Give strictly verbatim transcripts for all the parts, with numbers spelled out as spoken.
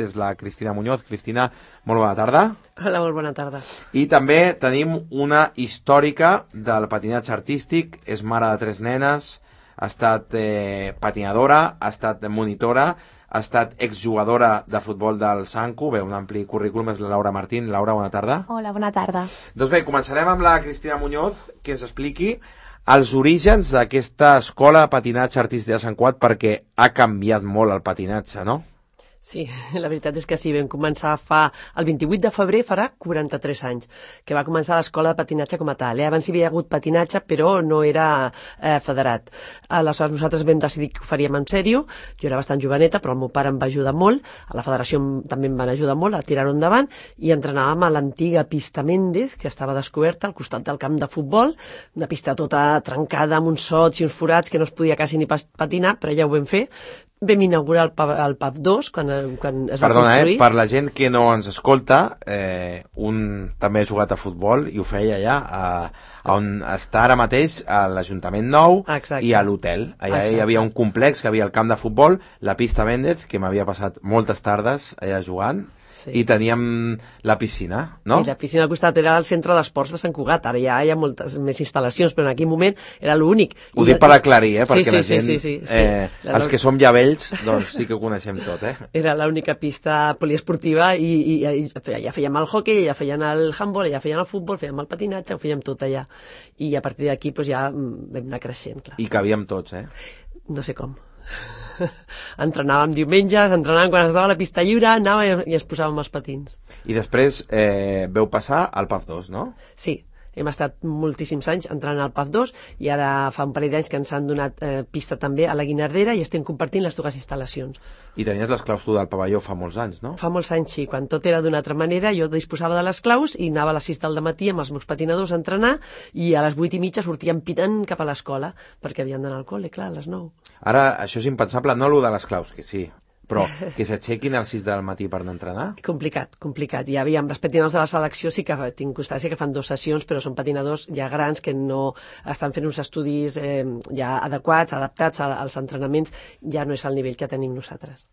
és la Cristina Muñoz. Cristina, molt bona tarda. Hola, molt bona tarda. I també tenim una històrica del patinatge artístic, és mare de tres nenes, ha estat eh, patinadora, ha estat monitora, ha estat exjugadora de futbol del Sanku, bé, un ampli currículum, és la Laura Martín. Laura, bona tarda. Hola, bona tarda. Doncs bé, començarem amb la Cristina Muñoz, que ens expliqui els orígens d'aquesta escola de patinatge artístic de Sant Cugat, perquè ha canviat molt el patinatge, no? Sí, la veritat és que sí, vam començar fa... El vint-i-vuit de febrer farà quaranta-tres anys, que va començar l'escola de patinatge com a tal. Eh? Abans hi havia hagut patinatge, però no era eh, federat. Aleshores nosaltres vam decidir que ho faríem en sèrio. Jo era bastant joveneta, però el meu pare em va ajudar molt. A la federació també em van ajudar molt a tirar-ho endavant, i entrenàvem a l'antiga pista Méndez, que estava descoberta al costat del camp de futbol, una pista tota trencada amb uns sots i uns forats que no es podia quasi ni patinar, però ja ho vam fer. Vam inaugurar el P A V dos quan, quan es va Perdona, construir. Eh? Per la gent que no ens escolta, eh, un també ha jugat a futbol i ho feia allà, a, a on està ara mateix a l'Ajuntament Nou. Exacte. I a l'hotel. Allà Exacte. Hi havia un complex que havia el camp de futbol, la pista Méndez, que m'havia passat moltes tardes allà jugant. Sí. I teníem la piscina, no? I la piscina al costat era el centre d'esports de Sant Cugat. Ara ja hi ha moltes més instal·lacions, però en aquell moment era l'únic. Ho I dic per aclarir, eh? Perquè sí, sí, la gent, sí, sí, sí. Eh, sí. els que som ja vells, doncs sí que ho coneixem tot, eh? Era l'única pista poliesportiva i, i, i ja fèiem el hockey, ja feien el handball, ja feien el futbol, fèiem el patinatge, ho fèiem tot allà. I a partir d'aquí doncs, ja vam anar creixent, clar. I cabíem tots, eh? No sé com. Entrenàvem diumenges, entrenàvem quan estava a la pista lliure, anàvem i ens posàvem els patins. I després eh, veu passar al P A V dos, no? Sí, hem estat moltíssims anys entrant al P A V dos i ara fa un parell d'anys que ens han donat eh, pista també a la Guinardera i estem compartint les dues instal·lacions. I tenies les claus tu del pavelló fa molts anys, no? Fa molts anys, sí. Quan tot era d'una altra manera, jo disposava de les claus i anava a les sis del matí amb els meus patinadors a entrenar i a les vuit i mitja sortíem pitant cap a l'escola perquè havien d'anar al col·le, clar, a les nou. Ara, això és impensable, no allò de les claus, que sí, però que s'aixequin a les sis del matí per anar a entrenar? Complicat, complicat. Ja aviam, els patinadors de la selecció sí que tinc constància que fan dues sessions, però són patinadors ja grans que no estan fent uns estudis eh, ja adequats, adaptats als entrenaments, ja no és el nivell que tenim nosaltres.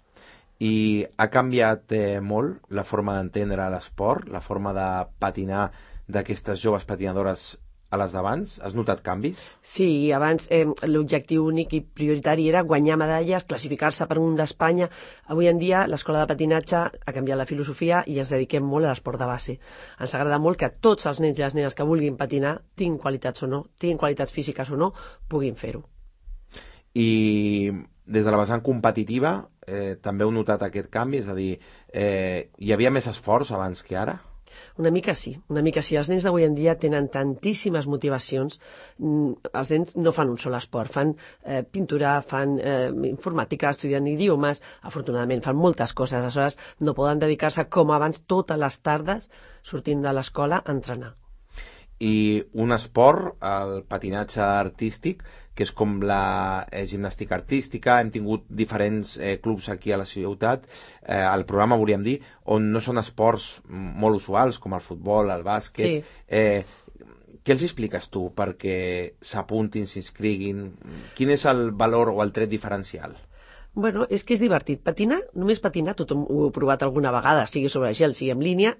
I ha canviat eh, molt la forma d'entendre l'esport, la forma de patinar d'aquestes joves patinadores a les d'abans? Has notat canvis? Sí, abans eh, l'objectiu únic i prioritari era guanyar medalles, classificar-se per un d'Espanya. Avui en dia l'escola de patinatge ha canviat la filosofia i ens dediquem molt a l'esport de base. Ens agrada molt que tots els nens i les nenes que vulguin patinar, tinguin qualitats o no, tinguin qualitats físiques o no, puguin fer-ho. I des de la vessant competitiva eh, també heu notat aquest canvi? És a dir, eh, hi havia més esforç abans que ara? Una mica sí, una mica sí. Els nens d'avui en dia tenen tantíssimes motivacions. Els nens no fan un sol esport, fan eh, pintura, fan eh, informàtica, estudien idiomes, afortunadament fan moltes coses, aleshores no poden dedicar-se com abans totes les tardes sortint de l'escola a entrenar. I un esport, el patinatge artístic, que és com la eh, gimnàstica artística, hem tingut diferents eh, clubs aquí a la ciutat, eh, al programa volíem dir, on no són esports molt usuals, com el futbol, el bàsquet. Sí. Eh, què els expliques tu perquè s'apuntin, s'inscriguin? Quin és el valor o el tret diferencial? Bueno, és que és divertit. Patinar, només patinar, tothom ho he provat alguna vegada, sigui sobre gel, sigui en línia,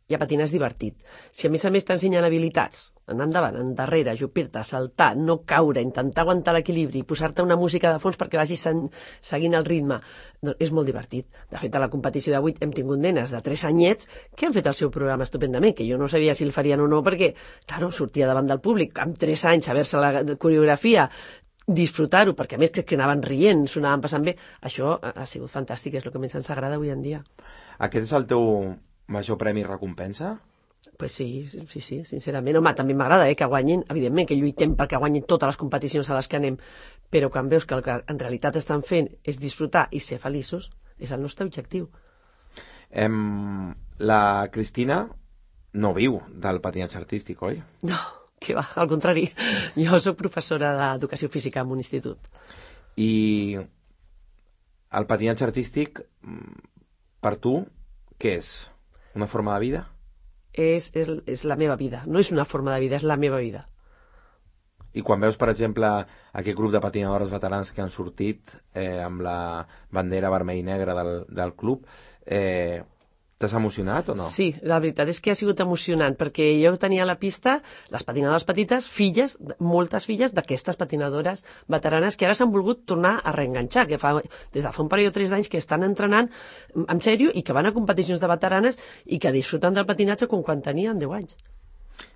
ja patinar és divertit. Si a més a més t'ensenyen habilitats, anar endavant, endarrere, ajupir-te, saltar, no caure, intentar aguantar l'equilibri, posar-te una música de fons perquè vagis seguint el ritme, doncs és molt divertit. De fet, a la competició d'avui hem tingut nenes de tres anyets que han fet el seu programa estupendament, que jo no sabia si el farien o no, perquè, claro, sortia davant del públic, amb tres anys, saber-se la coreografia, disfrutar-ho, perquè a més que anaven rient, s'ho anaven passant bé, això ha sigut fantàstic, és el que més ens agrada avui en dia. Aquest és el teu major premi i recompensa? Pues sí, sí, sí, sincerament. Home, també m'agrada eh, que guanyin, evidentment que lluitem perquè guanyin totes les competicions a les que anem, però quan veus que el que en realitat estan fent és disfrutar i ser feliços, és el nostre objectiu. Em, la Cristina no viu del patinatge artístic, oi? No, que va, al contrari. Jo soc professora d'educació física en un institut. I el patinatge artístic, per tu, què és? Una forma de vida? És, és, és la meva vida. No és una forma de vida, és la meva vida. I quan veus, per exemple, aquest grup de patinadores veteranes que han sortit eh, amb la bandera vermell i negra del, del club, eh, t'has emocionat o no? Sí, la veritat és que ha sigut emocionant, perquè jo tenia a la pista les patinadores petites, filles, moltes filles d'aquestes patinadores veteranes que ara s'han volgut tornar a reenganxar, que fa, des de fa un parell o tres d'anys que estan entrenant en sèrio i que van a competicions de veteranes i que disfruten del patinatge com quan tenien deu anys.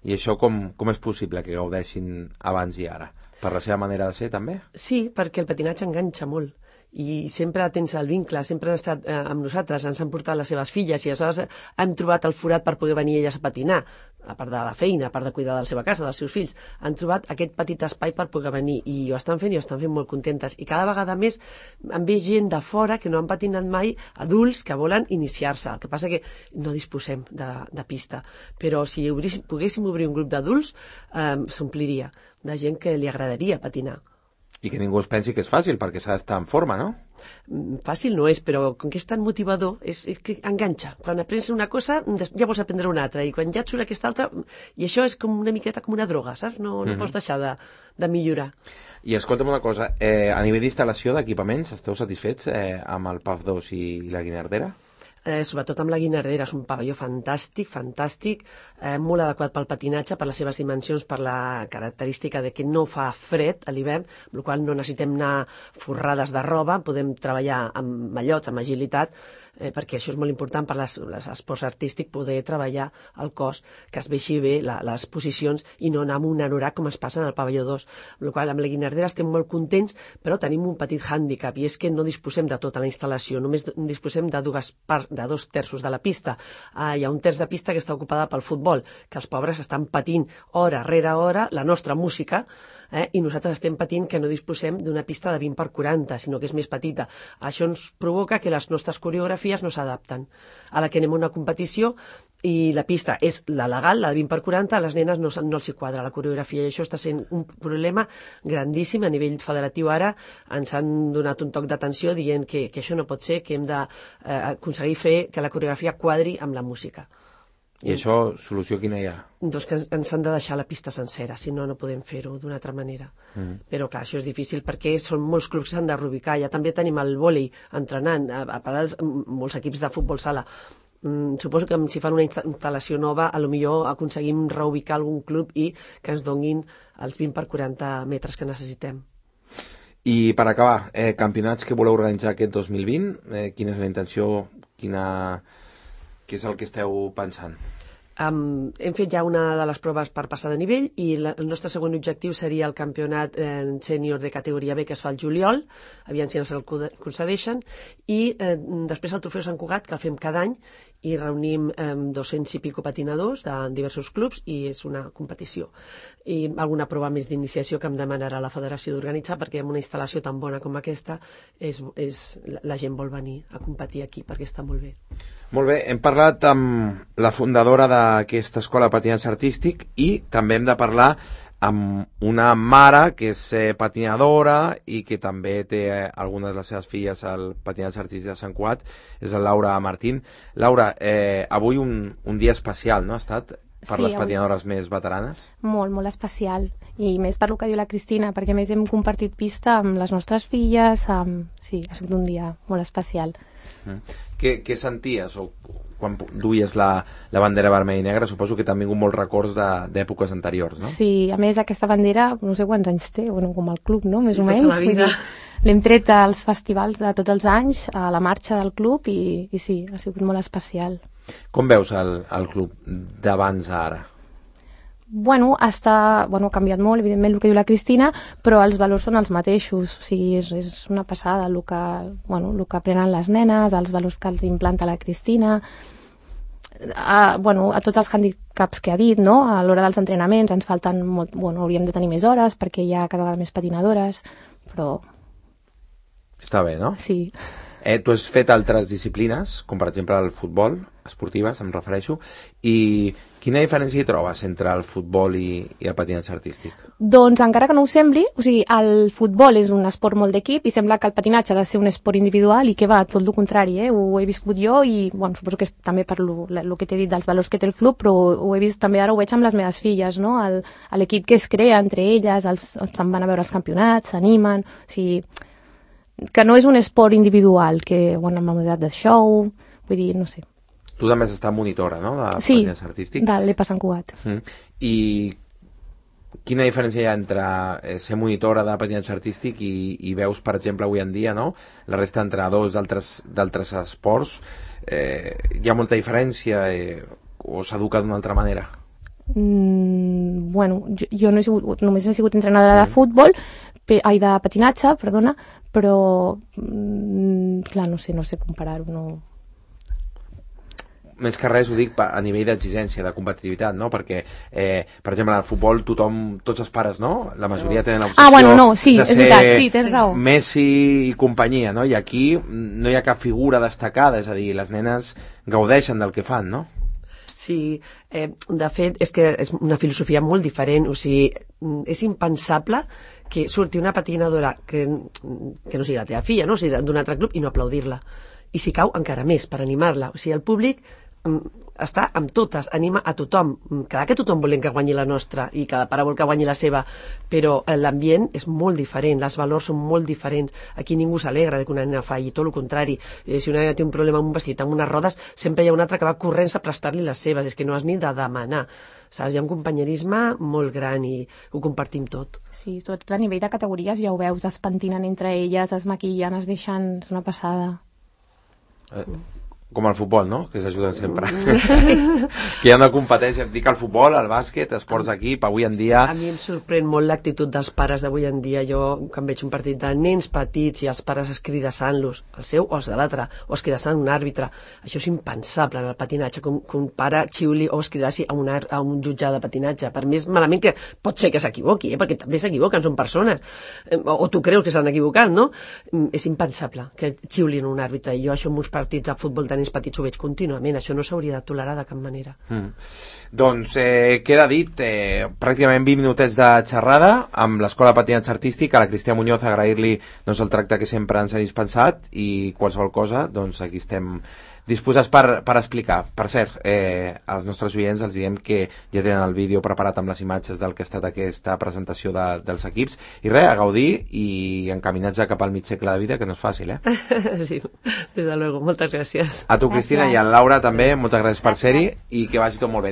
I això com, com és possible que gaudeixin abans i ara? Per la seva manera de ser, també? Sí, perquè el patinatge enganxa molt i sempre tens el vincle, sempre han estat eh, amb nosaltres, ens han portat les seves filles i aleshores han trobat el forat per poder venir elles a patinar, a part de la feina, a part de cuidar de la seva casa, dels seus fills, han trobat aquest petit espai per poder venir i ho estan fent i ho estan fent molt contentes i cada vegada més han vist gent de fora que no han patinat mai, adults que volen iniciar-se, el que passa que no disposem de, de pista, però si obris, poguéssim obrir un grup d'adults eh, s'ompliria de gent que li agradaria patinar. I que ningú es pensi que és fàcil, perquè s'ha d'estar en forma, no? Fàcil no és, però com que és tan motivador, és, és que enganxa. Quan aprens una cosa, ja vols aprendre una altra, i quan ja et surt aquesta altra, i això és com una miqueta com una droga, saps? No, no mm-hmm. pots deixar de, de millorar. I escolta'm una cosa, eh, a nivell d'instal·lació d'equipaments, esteu satisfets eh, amb el P A F dos i la Guinardera? Eh, sobretot amb la Guinardera, és un pavelló fantàstic, fantàstic, eh, molt adequat pel patinatge, per les seves dimensions, per la característica de que no fa fred a l'hivern, amb la qual cosa no necessitem anar forrades de roba, podem treballar amb mallots, amb agilitat, eh, perquè això és molt important per les, les esports artístics, poder treballar el cos, que es veixi bé la, les posicions i no anar amb un anorac com es passa en el pavelló dos. Amb la qual cosa, amb la Guinardera estem molt contents, però tenim un petit hàndicap, i és que no disposem de tota la instal·lació, només disposem de dues parts, de dos terços de la pista. Ah, hi ha un terç de pista que està ocupada pel futbol, que els pobres estan patint hora rere hora la nostra música, eh, i nosaltres estem patint que no disposem d'una pista de vint per quaranta, sinó que és més petita. Això ens provoca que les nostres coreografies no s'adapten. A la que anem a una competició i la pista és la legal, la de vint per quaranta, a les nenes no, no els hi quadra la coreografia, i això està sent un problema grandíssim a nivell federatiu. Ara ens han donat un toc d'atenció dient que, que això no pot ser, que hem d'aconseguir eh, fer que la coreografia quadri amb la música. I això, solució quina hi ha? Doncs que ens han de deixar la pista sencera, si no, no podem fer-ho d'una altra manera. Mm. Però clar, això és difícil perquè són molts clubs que s'han de reubicar. Ja també tenim el vòlei entrenant, a, a part dels, molts equips de futbol sala. Mm, suposo que si fan una instal·lació nova, a lo millor aconseguim reubicar algun club i que ens donin els vint per quaranta metres que necessitem. I per acabar, eh, campionats que voleu organitzar aquest dos mil vint, eh, quina és la intenció, quina... què és el que esteu pensant? Um, hem fet ja una de les proves per passar de nivell i la, el nostre segon objectiu seria el campionat eh, sènior de categoria B que es fa al juliol, aviam si ens el concedeixen, i eh, després el trofeu Sant Cugat, que el fem cada any i reunim eh, dos-cents i pico patinadors de diversos clubs i és una competició. I alguna prova més d'iniciació que em demanarà la federació d'organitzar, perquè amb una instal·lació tan bona com aquesta és, és, la gent vol venir a competir aquí perquè està molt bé. Molt bé, hem parlat amb la fundadora d'aquesta escola de patinatge artístic i també hem de parlar amb una mare que és eh, patinadora i que també té eh, algunes de les seves filles al patinatge artístic de Sant Cugat, és la Laura Martín. Laura, eh, avui un, un dia especial, no ha estat? Per sí, les patinadores avui... més veteranes? Molt, molt especial. I més per lo que diu la Cristina, perquè més hem compartit pista amb les nostres filles. Amb... Sí, ha sigut un dia molt especial. Mm. Què, què senties o quan duies la, la bandera vermella i negra? Suposo que t'han vingut molts records d'èpoques anteriors, no? Sí, a més aquesta bandera, no sé quants anys té, bueno, com el club, no? Més sí, o menys. Tota la vida. L'hem tret als festivals de tots els anys, a la marxa del club, i, i sí, ha sigut molt especial. Com veus el, el club d'abans a ara? Bueno, està, bueno, ha canviat molt, evidentment, el que diu la Cristina, però els valors són els mateixos. O sigui, és, és una passada el que, bueno, el que aprenen les nenes, els valors que els implanta la Cristina, a, bueno, a tots els handicaps que ha dit, no? A l'hora dels entrenaments ens falten molt, bueno, hauríem de tenir més hores perquè hi ha cada vegada més patinadores, però... Està bé, no? Sí. Eh, tu has fet altres disciplines, com per exemple el futbol, esportives, em refereixo, i quina diferència hi trobes entre el futbol i, i el patinatge artístic? Doncs encara que no ho sembli, o sigui, el futbol és un esport molt d'equip i sembla que el patinatge ha de ser un esport individual i que va tot el contrari, eh? Ho he viscut jo i, bueno, suposo que és també per lo, lo que t'he dit dels valors que té el club, però ho he vist també, ara ho veig amb les meves filles, no? L'equip que es crea entre elles, els, se'n van a veure els campionats, s'animen, o sigui, que no és un esport individual, que, bueno, amb la modalitat de show, vull dir, no sé. Tu també has estat monitora, no?, de sí, patinatge artístic. de l'E P A Sant Cugat. Mm. I quina diferència hi ha entre ser monitora de patinatge artístic i, i veus, per exemple, avui en dia, no?, la resta d'entrenadors d'altres esports? Eh, hi ha molta diferència eh, o s'educa d'una altra manera? Mm, bueno, jo, jo no he sigut, només he sigut entrenadora mm. de futbol, pe, ai, de patinatge, perdona, però mm, clar, no sé, no sé comparar-ho, no... Més que res ho dic a nivell d'exigència, de competitivitat, no? Perquè, eh, per exemple, al futbol tothom, tots els pares, no? La majoria tenen l'obsessió ah, bueno, no, sí, de és ser veritat, sí, tens raó. Messi i companyia, no? I aquí no hi ha cap figura destacada, és a dir, les nenes gaudeixen del que fan, no? Sí, eh, de fet, és que és una filosofia molt diferent, o sigui, és impensable que surti una patinadora que, que no sigui la teva filla, no? O sigui, d'un altre club i no aplaudir-la. I si cau, encara més, per animar-la. O sigui, el públic està amb totes, anima a tothom. Clar que tothom volem que guanyi la nostra i cada pare vol que guanyi la seva, però l'ambient és molt diferent, les valors són molt diferents. Aquí ningú s'alegra de que una nena falli, tot el contrari. Eh, si una nena té un problema amb un vestit, amb unes rodes, sempre hi ha una altra que va corrents a prestar-li les seves, és que no has ni de demanar. Saps? Hi ha un companyerisme molt gran i ho compartim tot. Sí, sobretot a nivell de categories ja ho veus, es pentinen entre elles, es maquillen, es deixen... És una passada. Eh, com el futbol, no?, que s'ajuden sempre. Sí. Que hi ha una competència, dic el futbol, el bàsquet, esports d'equip, avui en dia... A mi em sorprèn molt l'actitud dels pares d'avui en dia. Jo, quan veig un partit de nens petits i els pares escridassant-los, el seu o els de l'altre, o escridassant un àrbitre, això és impensable en el patinatge, que un, que un pare xiuli o escridassi a un, a un jutge de patinatge. Per mi és malament que pot ser que s'equivoqui, eh? Perquè també s'equivoquen, són persones. O, o tu creus que s'han equivocat, no? És impensable que xiulin un àrbitre. I jo això en uns partits de futbol de nens petits ho veig contínuament, això no s'hauria de tolerar de cap manera. Mm. Doncs eh, queda dit, eh, pràcticament vint minutets de xerrada amb l'Escola de Patinatge Artístic. A la Cristina Muñoz agrair-li doncs, el tracte que sempre ens ha dispensat i qualsevol cosa, doncs aquí estem disposats per, per explicar. Per cert, eh, als nostres oients els diem que ja tenen el vídeo preparat amb les imatges del que ha estat aquesta presentació de, dels equips, i res, a gaudir i encaminats ja cap al mig segle de vida, que no és fàcil, eh? Sí, des de luego, moltes gràcies. A tu, Cristina, gràcies. I a Laura també, moltes gràcies per ser-hi i que vagi tot molt bé.